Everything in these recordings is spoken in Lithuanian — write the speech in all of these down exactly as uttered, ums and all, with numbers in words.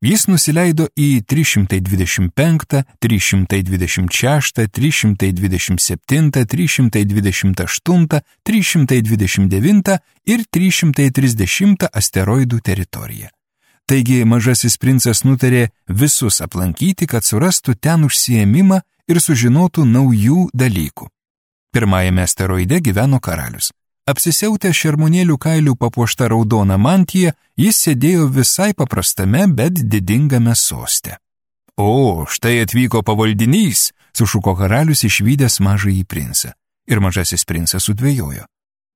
Jis nusileido į trys šimtai dvidešimt penktą, trys šimtai dvidešimt šeštą, trys šimtai dvidešimt septintą, trys šimtai dvidešimt aštuntą, trys šimtai dvidešimt devintą ir trys šimtai trisdešimtą asteroidų teritoriją. Taigi mažasis princas nutarė visus aplankyti, kad surastų ten užsiėmimą ir sužinotų naujų dalykų. Pirmajame asteroide gyveno karalius. Apsisiautęs šermuonėlių kailių papuošta raudona mantija, jis sėdėjo visai paprastame, bet didingame soste. O, štai atvyko pavaldinys, sušuko karalius išvydęs mažąjį princą. Ir mažasis princas sudvejojo.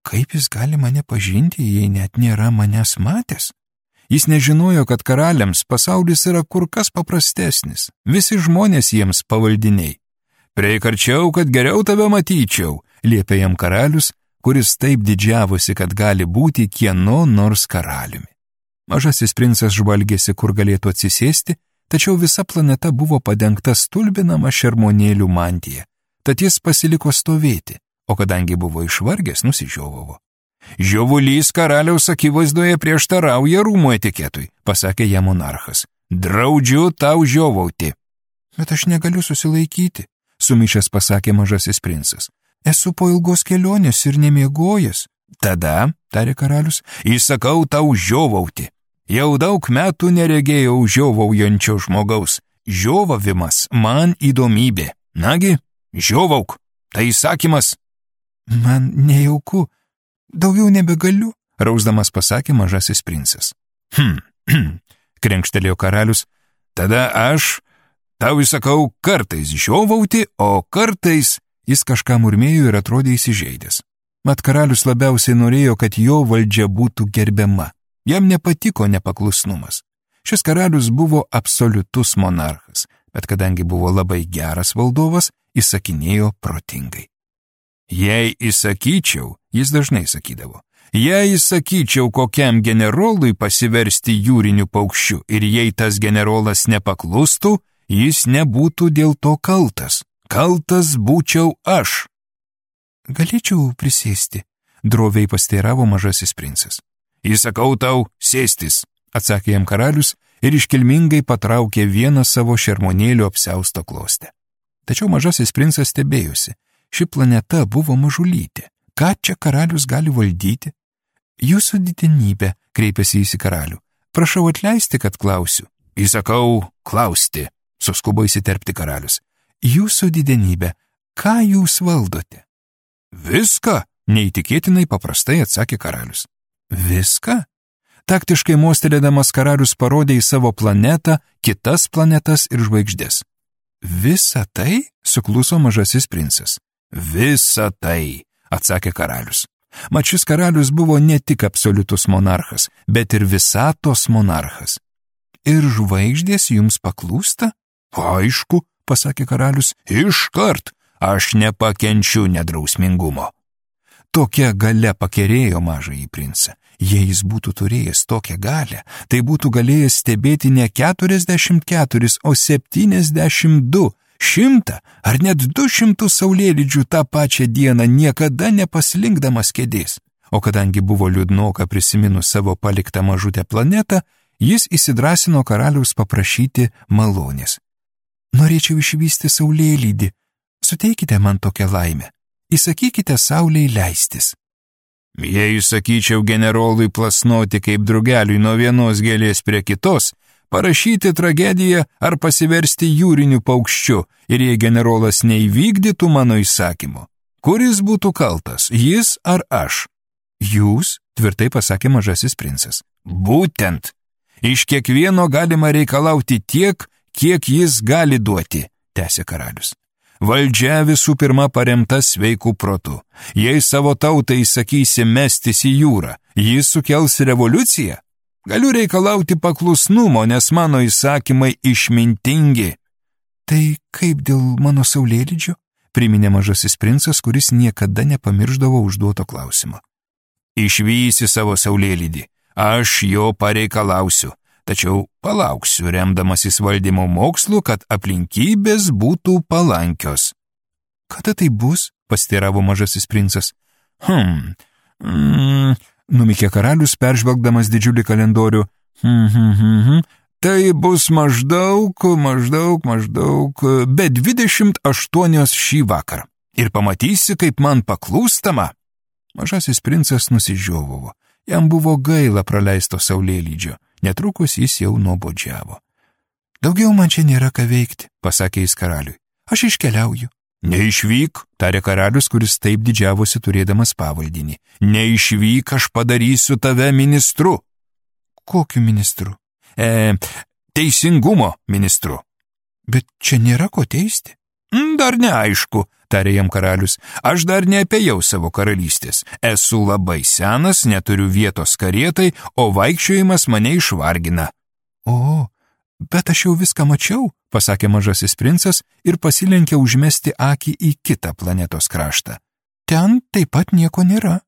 Kaip jis gali mane pažinti, jei net nėra manęs matęs? Jis nežinojo, kad karaliams pasaulis yra kur kas paprastesnis. Visi žmonės jiems pavaldiniai. Prieik arčiau, kad geriau tave matyčiau, liepė jam karalius, kuris taip didžiavosi, kad gali būti kieno nors karaliumi. Mažasis princas žvalgėsi, kur galėtų atsisėsti, tačiau visa planeta buvo padengta stulbinama šermuonėlių mantija, tad jis pasiliko stovėti, o kadangi buvo išvargęs, nusižiovavo. Žiovulys karaliaus akivaizdoje prieštarauja rūmų etiketui, pasakė jam monarchas. Draudžiu tau žiovauti. Bet aš negaliu susilaikyti, sumišęs pasakė mažasis princas. Esu po ilgos kelionės ir nemiegojęs. Tada, tarė karalius, įsakau tau žiovauti. Jau daug metų neregėjau žiovaujančio žmogaus. Žiovavimas man įdomybė. Nagi, žiovauk, tai įsakymas. Man nejauku, daugiau nebegaliu, rausdamas pasakė mažasis princas. Hm, hm, krenkštelėjo karalius. Tada aš tau įsakau kartais žiovauti, o kartais... Jis kažką murmėjo ir atrodė įsižeidęs. Mat karalius labiausiai norėjo, kad jo valdžia būtų gerbiama. Jam nepatiko nepaklusnumas. Šis karalius buvo absoliutus monarchas, bet kadangi buvo labai geras valdovas, įsakinėjo protingai. Jei įsakyčiau, jis dažnai sakydavo, jei įsakyčiau kokiam generolui pasiversti jūriniu paukščiu ir jei tas generolas nepaklustų, jis nebūtų dėl to kaltas. Kaltas būčiau aš. Galėčiau prisėsti, droviai pasteiravo mažasis princas. Įsakau tau sėstis, atsakė jam karalius ir iškilmingai patraukė vieną savo šermuonėlių apsiausto klostę. Tačiau mažasis princas stebėjosi. Ši planeta buvo mažulytė. Ką čia karalius gali valdyti? Jūsų didenybė, kreipėsi jis į karalių. Prašau atleisti, kad klausiu. Įsakau klausti, suskubo įsiterpti karalius. Jūsų didenybė, ką jūs valdote? Viską, neįtikėtinai paprastai atsakė karalius. Viską? Taktiškai mostelėdamas karalius parodė į savo planetą, kitas planetas ir žvaigždės. Visa tai? Sukluso mažasis princas. Visa tai, atsakė karalius. Mat šis karalius buvo ne tik absoliutus monarchas, bet ir visatos monarchas. Ir žvaigždės jums paklūsta? Aišku, pasakė karalius, iškart, aš nepakenčiu nedrausmingumo. Tokia galia pakerėjo mažąjį princą. Jei jis būtų turėjęs tokią galią, tai būtų galėjęs stebėti ne keturiasdešimt keturis, o septyniasdešimt du, šimtą ar net du šimtus saulėlydžių tą pačią dieną, niekada nepaslinkdamas kėdės. O kadangi buvo liūdnoka prisiminus savo paliktą mažutę planetą, jis įsidrąsino karaliaus paprašyti malonės. Norėčiau išvysti saulėlydį. Suteikite man tokią laimę. Įsakykite saulei leistis. Jei įsakyčiau generolui plasnoti kaip drugeliui nuo vienos gėlės prie kitos, parašyti tragediją ar pasiversti jūriniu paukščiu, ir jei generolas neįvykdytų mano įsakymo, kuris būtų kaltas, jis ar aš? Jūs, tvirtai pasakė mažasis princas. Būtent. Iš kiekvieno galima reikalauti tiek, kiek jis gali duoti, tęsė karalius. Valdžia visų pirma paremta sveikų protu. Jei savo tautai įsakysi mestis į jūrą, jis sukels revoliuciją. Galiu reikalauti paklusnumo, nes mano įsakymai išmintingi. Tai kaip dėl mano saulėlydžio? Priminė mažasis princas, kuris niekada nepamirždavo užduoto klausimo. Išvysi savo saulėlydį, aš jo pareikalausiu. Tačiau palauksiu, remdamasis valdymo mokslu, kad aplinkybės būtų palankios. Kada tai bus? Pasiteiravo mažasis princas. Hm, mm, numykė karalius, peržvelgdamas didžiulį kalendorių. Hm, hm, hm, hm. Tai bus maždaug, maždaug, maždaug, be dvidešimt aštuonios šį vakarą. Ir pamatysi, kaip man paklūstama. Mažasis princas nusižiovavo. Jam buvo gaila praleisto saulėlydžio. Netrukus jis jau nuobodžiavo. Daugiau man čia nėra ką veikti, pasakė jis karaliui. Aš iškeliauju. Neišvyk, tarė karalius, kuris taip didžiavosi turėdamas pavaldinį. Neišvyk, aš padarysiu tave ministru. Kokiu ministru? E, teisingumo ministru. Bet čia nėra ko teisti. Dar neaišku, tarė jam karalius. Aš dar neapėjau savo karalystės. Esu labai senas, neturiu vietos karietai, o vaikščiojimas mane išvargina. O, bet aš jau viską mačiau, pasakė mažasis princas ir pasilenkė užmesti akį į kitą planetos kraštą. Ten taip pat nieko nėra.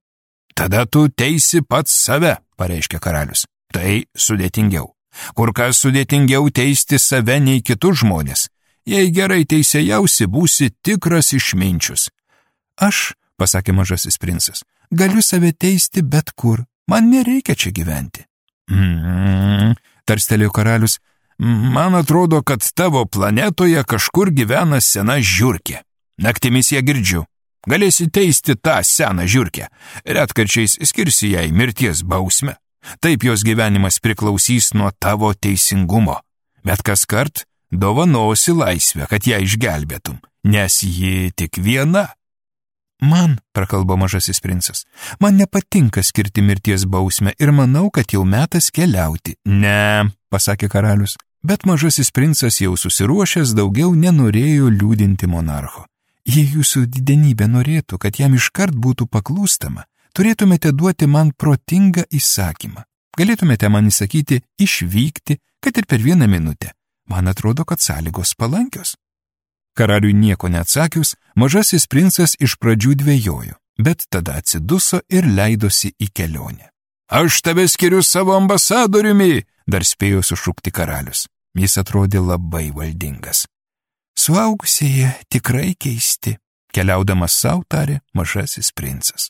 Tada tu teisi pats save, pareiškė karalius. Tai sudėtingiau. Kur kas sudėtingiau teisti save nei kitus žmonės. Jei gerai teisėjausi, būsi tikras išminčius. Aš, pasakė mažasis princas, galiu save teisti bet kur. Man nereikia čia gyventi. Mm, tarstelėjo karalius. Man atrodo, kad tavo planetoje kažkur gyvena sena žiurkė. Naktimis ją girdžiu. Galėsi teisti tą seną žiurkę. Retkarčiais skirsi jai mirties bausmę. Taip jos gyvenimas priklausys nuo tavo teisingumo. Bet kaskart dovanosi laisvę, kad ją išgelbėtum, nes ji tik viena. Man, prakalbo mažasis princas, man nepatinka skirti mirties bausmę ir manau, kad jau metas keliauti. Ne, pasakė karalius. Bet mažasis princas jau susiruošęs daugiau nenorėjo liūdinti monarcho. Jei jūsų didenybė norėtų, kad jam iškart būtų paklūstama, turėtumėte duoti man protingą įsakymą. Galėtumėte man įsakyti išvykti, kad ir per vieną minutę. Man atrodo, kad sąlygos palankios. Karaliui nieko neatsakius, mažasis princas iš pradžių dvejojo, bet tada atsiduso ir leidosi į kelionę. Aš tave skiriu savo ambasadoriumi, dar spėjo sušukti karalius. Jis atrodė labai valdingas. Suaugusieji tikrai keisti, keliaudamas sau tarė mažasis princas.